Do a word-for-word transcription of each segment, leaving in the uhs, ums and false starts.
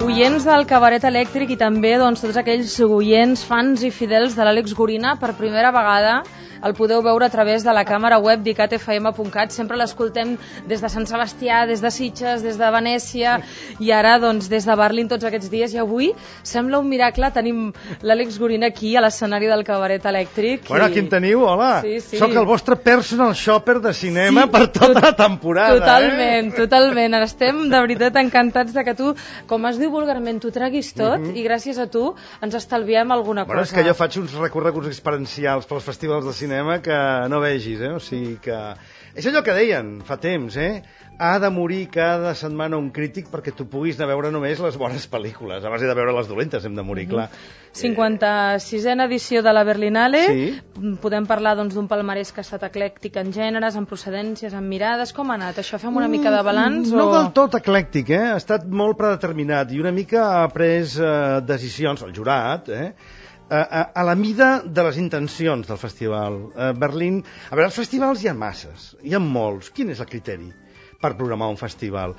Oients del Cabaret Elèctric i també doncs, tots aquells oients, fans i fidels de l'Àlex Gorina, per primera vegada el podeu veure a través de la càmera web d'icat f m punt cat. Sempre l'escoltem des de Sant Sebastià, des de Sitges, des de Venècia i ara doncs, des de Berlín tots aquests dies. I avui sembla un miracle, tenim l'Àlex Gorina aquí a l'escenari del Cabaret Elèctric. Bueno, aquí em teniu, hola. Sí, sí. Soc el vostre personal shopper de cinema sí, per tota la temporada. Totalment, eh? totalment. Estem de veritat encantats de que tu, com es diu vulgarment, t'ho treguis tot mm -hmm. i gràcies a tu ens estalviem alguna bueno, cosa. És que jo faig uns recorreguts experiencials pels festivals de cinema que no vegis, eh? O sigui que... És allò que deien fa temps, eh? Ha de morir cada setmana un crític perquè tu puguis anar a veure només les bones pel·lícules. Abans de veure les dolentes hem de morir, mm-hmm. clar. cinquanta-sisena edició de la Berlinale. Sí. Podem parlar doncs, d'un palmarès que ha estat eclèctic en gèneres, en procedències, en mirades. Com ha anat això? Fem una mica de balanç? No o... del tot eclèctic, eh? Ha estat molt predeterminat i una mica ha pres eh, decisions, el jurat, eh? A, a, a la mida de les intencions del festival. A Berlín... A veure, els festivals hi ha masses, hi ha molts. Quin és el criteri per programar un festival?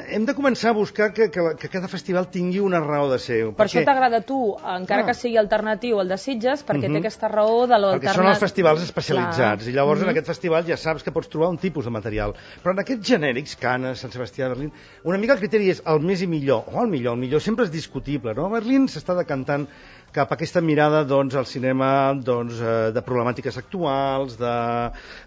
Hem de començar a buscar que, que, que cada festival tingui una raó de ser. Per perquè... això t'agrada a tu, encara ah. que sigui alternatiu el de Sitges, perquè uh -huh. té aquesta raó de l'alternat. Perquè són els festivals especialitzats, clar. I llavors uh -huh. en aquest festival ja saps que pots trobar un tipus de material. Però en aquests genèrics, Canes, Sant Sebastià, Berlín, una mica el criteri és el més i millor, o el millor, el millor sempre és discutible, no? Berlín s'està decantant cap a aquesta mirada doncs, al cinema doncs, eh, de problemàtiques actuals, de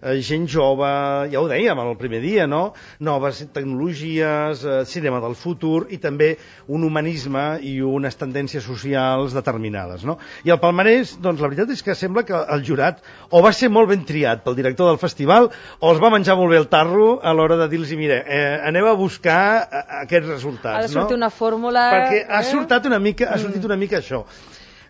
eh, gent jove, ja ho dèiem el primer dia, no? Noves tecnologies, eh, cinema del futur i també un humanisme i unes tendències socials determinades, no? I el palmarès, doncs la veritat és que sembla que el jurat o va ser molt ben triat pel director del festival o els va menjar molt bé el tarro a l'hora de dir-los, mire, eh, aneu a buscar aquests resultats, no? Ha de sortir no? una fórmula... Perquè ha eh? sortit una mica, ha sortit una mica això.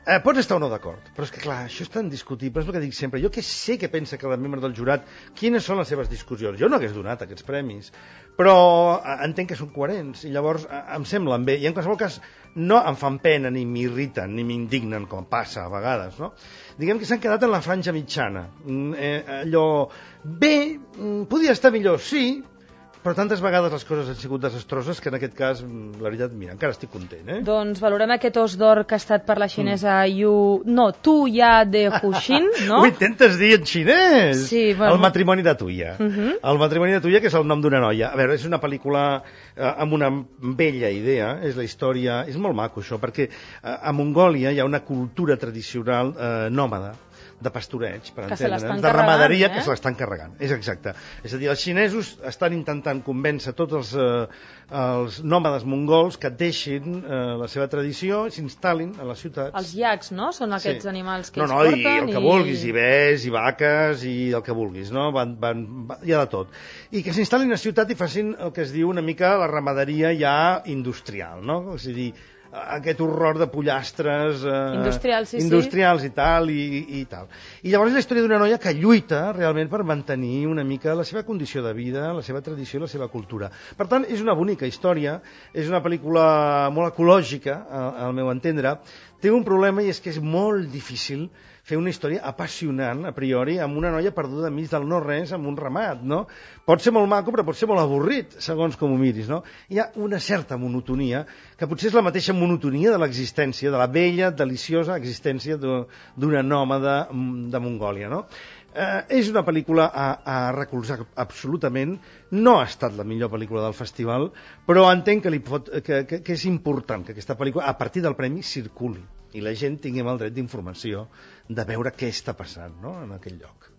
Eh, pots estar o no d'acord, però és que clar, això és tan discutible, és el que dic sempre. Jo que sé que pensa cada membre del jurat, quines són les seves discussions. Jo no hagués donat aquests premis, però eh, entenc que són coherents i llavors eh, em semblen bé i en qualsevol cas no em fan pena ni m'irriten ni m'indignen com passa a vegades, no? Diguem que s'han quedat en la franja mitjana. Eh, allò, bé, podia estar millor, sí, però tantes vegades les coses han sigut desastroses que en aquest cas, la veritat, mira, encara estic content, eh? Doncs valorem aquest os d'or que ha estat per la xinesa mm. Yu... No, Tu Ya de Huxin, no? Ho intentes dir en xinès! Sí, bueno. El matrimoni de Tuya. Uh -huh. El matrimoni de Tuya, que és el nom d'una noia. A veure, és una pel·lícula eh, amb una bella idea, és la història... És molt maco, això, perquè eh, a Mongòlia hi ha una cultura tradicional eh, nòmada, de pastoreig, per entendre'ns, de ramaderia, eh? que se l'estan carregant. És exacte. És a dir, els xinesos estan intentant convèncer tots els, eh, els nòmades mongols que deixin eh, la seva tradició i s'instal·lin a les ciutats. Els iacs, no? Són aquests sí. animals que no, ells no, porten. I el que i... vulguis, i bès, i vaques, i el que vulguis, no? Van, van, va, hi ha de tot. I que s'instal·lin a la ciutat i facin el que es diu una mica la ramaderia ja industrial, no? És a dir, aquest horror de pollastres eh, industrials, sí, industrials sí. i tal i, i tal. I llavors és la història d'una noia que lluita realment per mantenir una mica la seva condició de vida, la seva tradició i la seva cultura. Per tant, és una bonica història, és una pel·lícula molt ecològica, al, al meu entendre. Té un problema i és que és molt difícil fer una història apassionant, a priori, amb una noia perduda enmig del no-res, amb un ramat, no? Pot ser molt maco, però pot ser molt avorrit, segons com ho miris, no? Hi ha una certa monotonia, que potser és la mateixa monotonia de l'existència, de la bella, deliciosa existència d'una nòmada de Mongòlia, no? Eh, és una pel·lícula a, a recolzar absolutament. No ha estat la millor pel·lícula del festival, però entenc que, li pot, que, que, que és important que aquesta pel·lícula, a partir del premi, circuli i la gent tinguem el dret d'informació de veure què està passant, no?, en aquell lloc.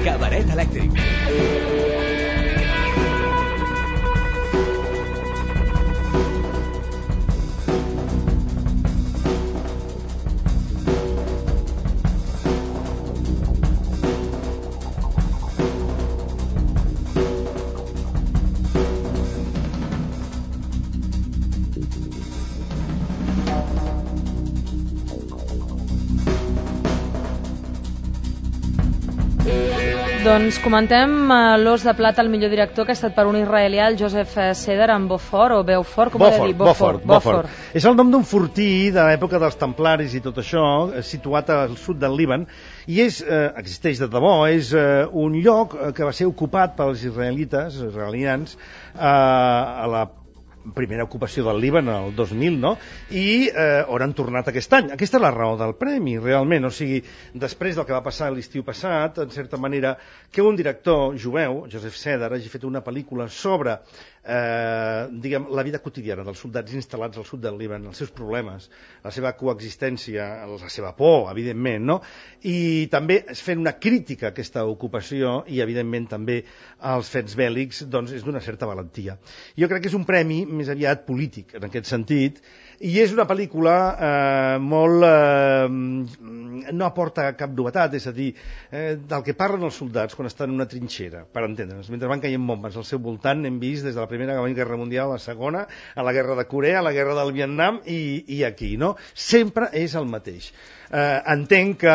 Cabaret Elèctric. Doncs comentem uh, l'Os de Plata, el millor director, que ha estat per un israelià, el Joseph Seder, amb Beaufort, o Beaufort, com ho he de dir? Beaufort, Beaufort. És el nom d'un fortí de l'època dels templaris i tot això, situat al sud del Líban, i és, eh, existeix de debò, és eh, un lloc que va ser ocupat pels israelites, israelians, eh, a la primera ocupació del Líban, el dos mil, no? I eh, on han tornat aquest any. Aquesta és la raó del premi, realment. O sigui, després del que va passar l'estiu passat, en certa manera, que un director jueu, Joseph Seder, hagi fet una pel·lícula sobre eh, diguem, la vida quotidiana dels soldats instal·lats al sud del Líban, els seus problemes, la seva coexistència, la seva por, evidentment, no? I també fent una crítica a aquesta ocupació i, evidentment, també als fets bèl·lics, doncs és d'una certa valentia. Jo crec que és un premi més aviat polític, en aquest sentit, i és una pel·lícula eh, molt... Eh, no aporta cap novetat, és a dir, eh, del que parlen els soldats quan estan en una trinxera, per entendre'ns. Mentre van caient bombes al seu voltant, hem vist des de la Primera Guerra Mundial a la Segona, a la Guerra de Corea, a la Guerra del Vietnam i, i aquí, no? Sempre és el mateix. Eh, entenc que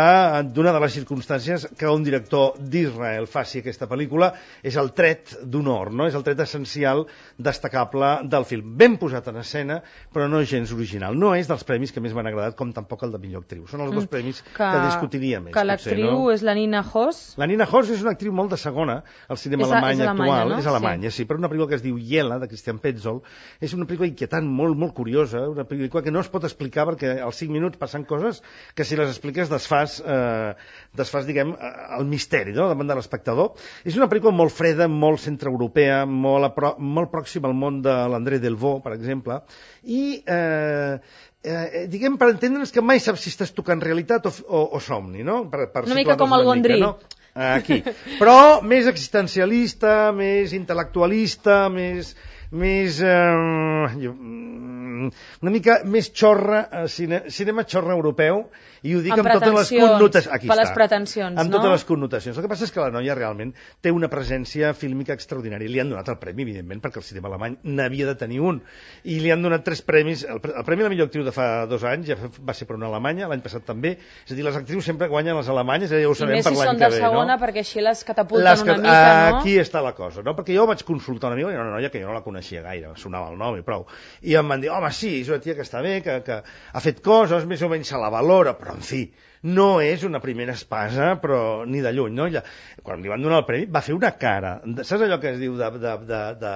d'una de les circumstàncies que un director d'Israel faci aquesta pel·lícula és el tret d'honor, no? És el tret essencial, destacable del film. Ben posat en escena, però no gens original. No és dels premis que més m'han agradat, com tampoc el de millor actriu. Són els dos premis que, que discutiria més. Que l'actriu no? És la Nina Hoss. La Nina Hoss és una actriu molt de segona al cinema és, alemany és actual. No? És Alemanya, sí. sí, però una pel·lícula que es diu Yela, de Christian Petzold, és una pel·lícula inquietant, molt, molt curiosa, una pel·lícula que no es pot explicar perquè als cinc minuts passen coses que si les expliques desfas, eh, desfas diguem, el misteri, no?, davant de l'espectador. És una pel·lícula molt freda, molt centreeuropea, molt, apro molt pròxima al món de l'André Delvaux, per exemple, i eh, eh, diguem, per entendre'ns que mai saps si estàs tocant realitat o, o, o somni, no? Per, per una mica com el Gondry. No? Aquí. Però més existencialista, més intel·lectualista, més... més eh, una mica més xorra, eh, cine, cinema xorra europeu, i ho dic amb, amb totes les connotacions. Aquí per està, les pretensions, amb no? totes les connotacions. El que passa és que la noia realment té una presència fílmica extraordinària. Li han donat el premi, evidentment, perquè el cinema alemany n'havia de tenir un. I li han donat tres premis. El, el premi a la millor actriu de fa dos anys ja va ser per una alemanya, l'any passat també. És a dir, les actrius sempre guanyen les alemanyes, ja ho sabem per l'any que ve. I més si són de segona, no? Perquè així les catapulten les una mica, no? Aquí està la cosa, no? Perquè jo vaig consultar una amiga, una noia que jo no la coneixia gaire, sonava el nom i prou. I em van dir, home, sí, és una tia que està bé, que, que ha fet coses, més o menys se la valora, però en fi, no és una primera espasa, però ni de lluny, no? Ella, quan li van donar el premi, va fer una cara. Saps allò que es diu de... de, de, de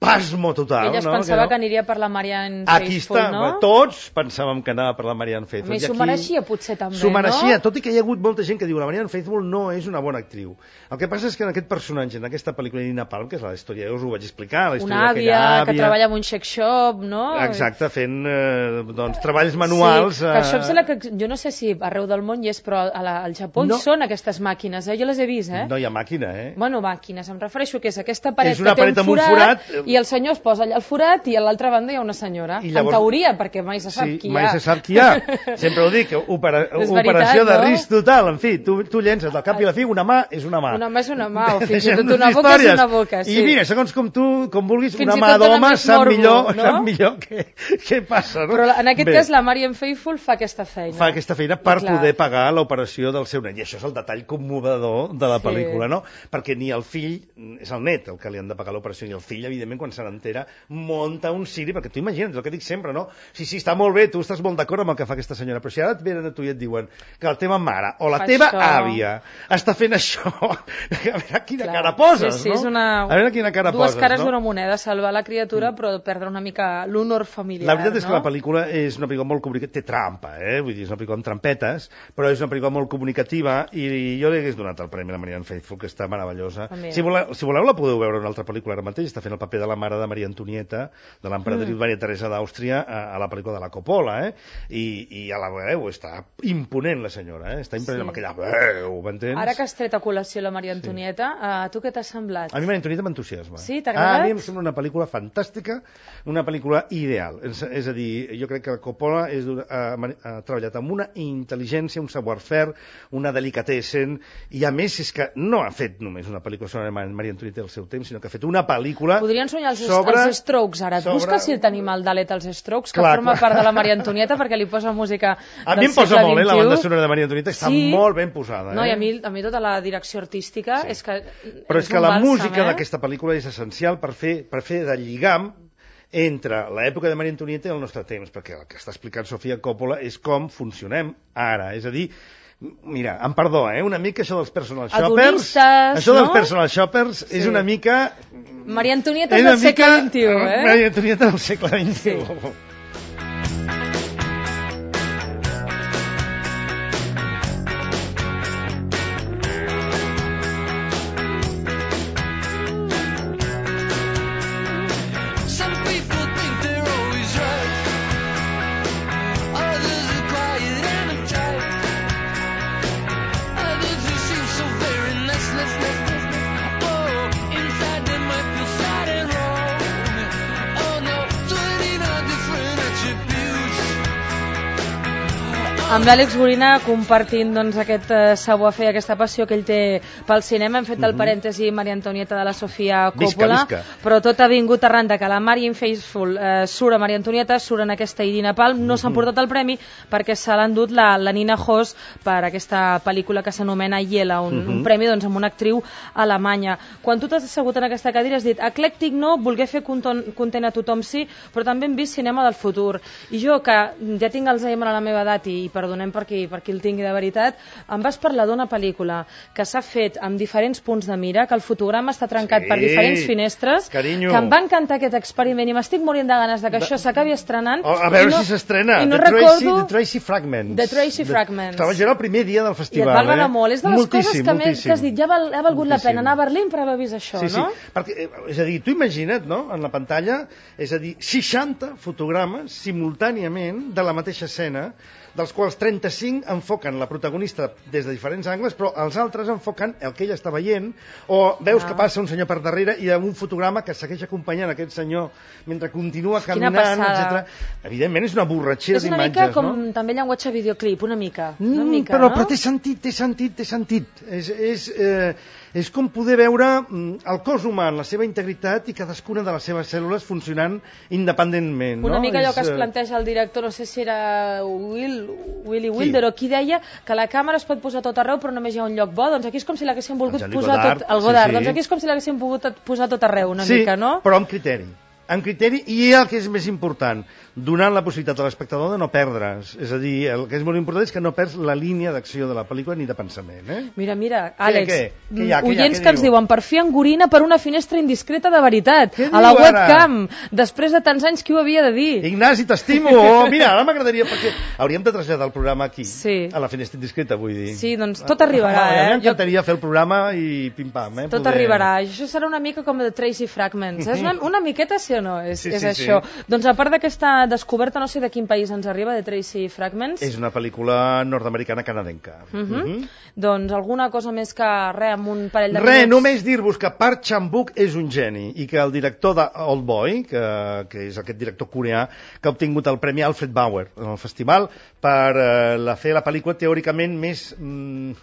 pasmo total. Ella es no? pensava que, no? que aniria per la Marianne Aquí Faithfull, està, no? Tots pensàvem que anava per la Marianne Faithfull. A més, s'ho mereixia potser també, S'ho mereixia, no? tot i que hi ha hagut molta gent que diu la Marianne Faithfull no és una bona actriu. El que passa és que en aquest personatge, en aquesta pel·lícula de Nina Palm, que és la història, jo us ho vaig explicar, la història una àvia, àvia que treballa en un sex shop, no? Exacte, fent eh, doncs, treballs manuals. Sí, que això em sembla que, jo no sé si arreu del món hi és, però a la, al Japó no. Hi són aquestes màquines, eh? Jo les he vist, eh? No hi ha màquina, eh? Bueno, màquines, em refereixo que és aquesta paret és una que té paret un forat, un forat i el senyor es posa allà al forat i a l'altra banda hi ha una senyora. I llavors, en teoria, perquè mai se sap sí, qui hi ha. mai se sap qui hi ha. Sempre ho dic, opera, veritat, operació de no? risc total. En fi, tu, tu llences al cap i a la fi, una mà és una mà. Una mà és una mà, o fins i tot una boca és una boca. Sí. I mira, segons com tu, com vulguis, fins una mà d'home sap morbo, millor, no? sap millor què, què passa. No? Però en aquest Bé, cas la Marianne Faithfull fa aquesta feina. Fa aquesta feina per Clar. poder pagar l'operació del seu nen. I això és el detall commovedor de la Sí. pel·lícula, no? Perquè ni el fill, és el net el que li han de pagar l'operació, ni el fill, evidentment, quan se n'entera, munta un ciri, perquè tu imagina't, el que dic sempre, no? Sí, sí, està molt bé, tu estàs molt d'acord amb el que fa aquesta senyora, però si ara et venen a tu i et diuen que la teva mare o la Fa teva això. àvia està fent això, a veure quina Clar. cara poses, sí, sí, no? És una... A veure quina cara dues poses, cares no? d'una moneda, salvar la criatura, però perdre una mica l'honor familiar. La veritat és que no? la pel·lícula és una pel·lícula molt comunicativa, té trampa, eh? Vull dir, és una pel·lícula amb trampetes, però és una pel·lícula molt comunicativa i jo li hagués donat el premi a la Marianne Faithfull, que està meravellosa. Si voleu, si voleu la podeu veure en una altra pel·lícula ara mateix, està fent el paper de la mare de Maria Antonieta, de l'emperadriu mm. Maria Teresa d'Àustria, a, a la pel·lícula de la Coppola, eh? I, i a la veu està imponent la senyora, eh? Està imponent sí. amb aquella veu, m'entens? Ara que has tret a col·lació la Maria Antonieta, sí. a tu què t'ha semblat? A mi Maria Antonieta m'entusiasma. Sí, t'ha agradat? A mi em sembla una pel·lícula fantàstica, una pel·lícula ideal. És, és a dir, jo crec que la Coppola és, ha, ha treballat amb una intel·ligència, un savoir-faire, una delicatessen, i a més és que no ha fet només una pel·lícula sobre Maria Antonieta del seu temps, sinó que ha fet una pel·lícula... Podrien sonar els, sobre, els Strokes ara. Et sobre... busca si el tenim al Dalet als Strokes, que clar, forma clar. part de la Maria Antonieta, perquè li posa música a del mi em posa segle molt, eh, la vint-i-u. banda sonora de Maria Antonieta està sí. molt ben posada. Eh? No, i a mi, a mi tota la direcció artística sí. és que però és, és que la bàlsam, música eh? d'aquesta pel·lícula és essencial per fer, per fer de lligam entre l'època de Maria Antonieta i el nostre temps, perquè el que està explicant Sofia Coppola és com funcionem ara, és a dir, mira, em perdó, eh? Una mica això dels personal shoppers, això dels no? personal shoppers sí. és una mica... Maria Antonieta del segle vint-i-u, eh? Maria Antonieta del segle vint-i-u. Sí. Amb l'Àlex Gorina compartint doncs, aquest uh, savoir-fer, aquesta passió que ell té pel cinema. Hem fet el uh -huh. parèntesi Maria Antonieta de la Sofia Coppola, visca, visca. però tot ha vingut arran de que la Marian Faithfull uh, surt a Maria Antonieta, surt en aquesta Irina Palm, no uh -huh. s'han portat el premi perquè se l'ha endut la, la Nina Hoss per aquesta pel·lícula que s'anomena Yela, un, uh -huh. un premi doncs, amb una actriu alemanya. Quan tu t'has assegut en aquesta cadira has dit eclèctic no, voler fer content a tothom sí, però també hem vist cinema del futur. I jo, que ja tinc Alzheimer a la meva edat i, i perdonem per qui, per qui el tingui de veritat, em vas parlar d'una pel·lícula que s'ha fet amb diferents punts de mira, que el fotograma està trencat sí, per diferents finestres, carinyo. que em va encantar aquest experiment i m'estic morint de ganes de que això s'acabi estrenant. Oh, a veure no, si s'estrena. I no The recordo... Tracy, The Tracy Fragments. The Tracy Fragments. Estava jo el primer dia del festival. I et va agradar eh? molt. És de les moltíssim, coses que, més, que has dit, ja val, ha valgut moltíssim. la pena anar a Berlín per haver vist això, sí, no? Sí, perquè, és a dir, tu imagina't, no?, en la pantalla, és a dir, seixanta fotogrames simultàniament de la mateixa escena, dels quals trenta-cinc enfoquen la protagonista des de diferents angles, però els altres enfoquen el que ella està veient, o veus ah. que passa un senyor per darrere i un fotograma que segueix acompanyant aquest senyor mentre continua caminant, etcètera. Evidentment és una borratxera d'imatges, no? És una mica com no? també llenguatge videoclip, una mica. Una mm, mica però, no? però té sentit, té sentit, té sentit. És, és, eh, és com poder veure el cos humà en la seva integritat i cadascuna de les seves cèl·lules funcionant independentment. Una no? mica allò és, que es planteja el director, no sé si era Will, Willy Wilder, o qui deia que la càmera es pot posar tot arreu però només hi ha un lloc bo, doncs aquí és com si l'haguessin volgut posar Godard, tot, el Godard, sí, sí. doncs aquí és com si l'haguessin pogut posar tot arreu una sí, mica, no? Però amb criteri. Amb criteri, i el que és més important, donant la possibilitat a l'espectador de no perdre's. És a dir, el que és molt important és que no perds la línia d'acció de la pel·lícula ni de pensament. Eh? Mira, mira, Àlex, què, què? Què hi ha, què oients hi ha, que ens diu? diuen per fi engorina per una finestra indiscreta de veritat, Què a la diu, webcam, després de tants anys qui ho havia de dir? Ignasi, t'estimo! Oh, mira, ara m'agradaria, perquè hauríem de traslladar el programa aquí, sí. a la finestra indiscreta, vull dir. Sí, doncs tot arribarà, ah, eh? A mi m'encantaria jo... fer el programa i pim-pam. Eh? Tot poder... arribarà. Això serà una mica com The Tracy Fragments. És una, una miqueta, sí o no? És, sí, és sí, això. Sí. Doncs a part d'aquesta descoberta, no sé de quin país ens arriba, The Tracy Fragments. És una pel·lícula nord-americana canadenca. Uh -huh. uh -huh. Uh -huh. Doncs alguna cosa més que res, amb un parell de Re, minuts. només dir-vos que Park Chan-wook és un geni i que el director de Old Boy, que, que és aquest director coreà, que ha obtingut el Premi Alfred Bauer en el festival per eh, la, fer la pel·lícula teòricament més... Mm,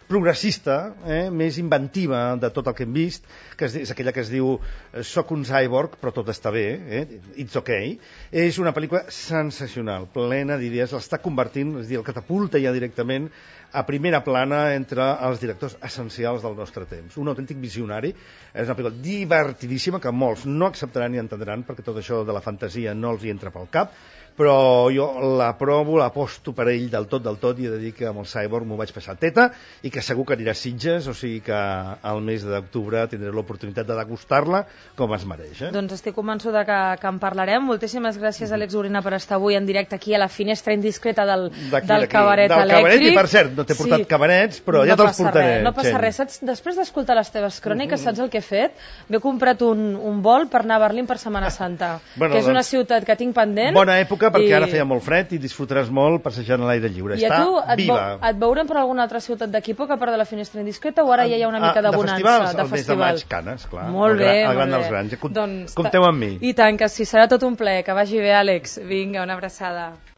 progressista, eh, més inventiva de tot el que hem vist, que és, és aquella que es diu Soc un cyborg, però tot està bé, eh, it's okay. És una pel·lícula sensacional, plena d'idees, l'està convertint, és a dir, el catapulta ja directament a primera plana entre els directors essencials del nostre temps. Un autèntic visionari, és una pel·lícula divertidíssima que molts no acceptaran ni entendran perquè tot això de la fantasia no els hi entra pel cap, però jo l'aprovo, l'aposto per ell del tot, del tot, i he de dir que amb el Cyborg m'ho vaig passar teta i que segur que anirà a Sitges, o sigui que al mes d'octubre tindré l'oportunitat de degustar-la com es mereix. Eh? Doncs estic convençuda que, que en parlarem. Moltíssimes gràcies, Àlex Gorina, per estar avui en directe aquí a la finestra indiscreta del, del cabaret del elèctric. Cabaret, i per cert, no t'he portat sí. cabarets, però no ja te'ls portaré. Res, no passa res. Saps, després d'escoltar les teves cròniques, saps el que he fet? M'he comprat un, un vol per anar a Berlín per Setmana Santa, bueno, que és una doncs, ciutat que tinc pendent. Bona època, perquè i... ara feia molt fred i disfrutaràs molt passejant a l'aire lliure. I Està a tu et, viva. et veurem per alguna altra ciutat d'aquí poc, a part de la finestra indiscreta, o ara ja hi ha una mica de bonança? De festivals, de el mes de maig, Canes, clar. Molt bé, el gran molt dels bé. grans. Doncs, compteu amb mi. I tant, que sí, serà tot un plaer. Que vagi bé, Àlex. Vinga, una abraçada.